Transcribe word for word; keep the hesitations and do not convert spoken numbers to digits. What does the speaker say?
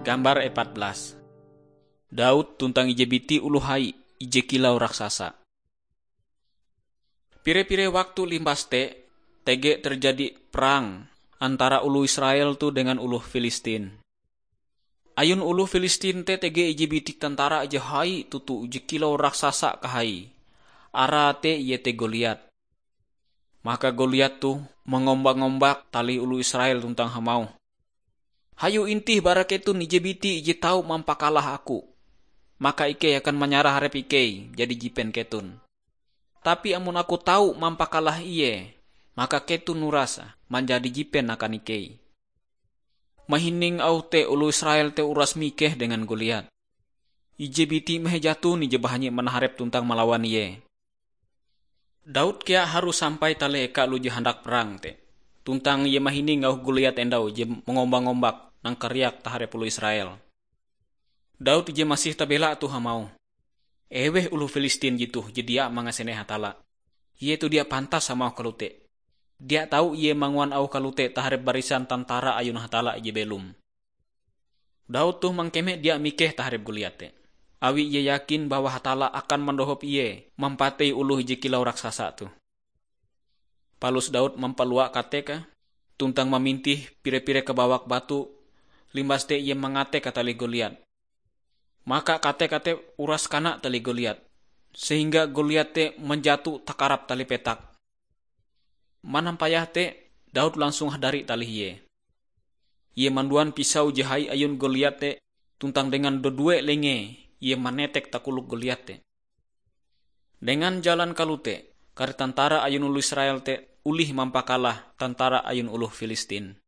Gambar epat belas. Daud tuntang ije biti oloh hai, ije kilau raksasa. Pire-pire waktu limbas te, tege terjadi perang antara oloh Israel tu dengan oloh Filistin. Ayun oloh Filistin te tege ije biti tentara je hai toto, ije kilau raksasa kahai. Arae te iete Goliat. Maka Goliat toh mangombak-ngombak talih oloh Israel tuntang hamauh, "Hayo intih bara keton ije biti je tau mampakalah aku. Maka ikei akan manyarah arep ikei jadi jipen keton. Tapi amon aku tau mampakalah ie, maka keton uras manjadi jipen akan ikei." Mahining auh te, oloh Israel te uras mikeh dengan Goliat. Ije biti meh jaton ije bahanyi manaharep tuntang malawan ie. Daud kea harus sampai talih eka oloh je handak perang te. Tuntang ie mahining auh Goliat endau je mangombak-ngombak nangkariak taharep oloh Israel. Daud ije masih tabela toh hamauh, "Eweh oloh Filistin jetoh je dia mangasene Hatalla? Ie toh dia pantas hamauh kalote. Dia tau ie manguan auh kalote taharep barisan tentara ayun Hatalla ije belom." Daud toh mangkeme dia mikeh taharep Goliat te, awi ie yakin bahwa Hatalla akan mandohop ie mampatei oloh ije kilau raksasa toh. Palus Daud mampalua kateke, tuntang mamintih pire-pire kabawak batu, limbas te ie mangate katalih Goliat. Maka kateke te uras kana talih Goliat, sehingga Goliat te manjato takarap talih petak. Manampayah te, Daud langsung hadari talih ie. Ie manduan pisau je hai ayun Goliat te, tuntang dengan dodue lengee ie manetek takolok Goliat te. Dengan jalan kalote, kare tentara ayun oloh Israel te olih mampakalah tentara ayun oloh Filistin.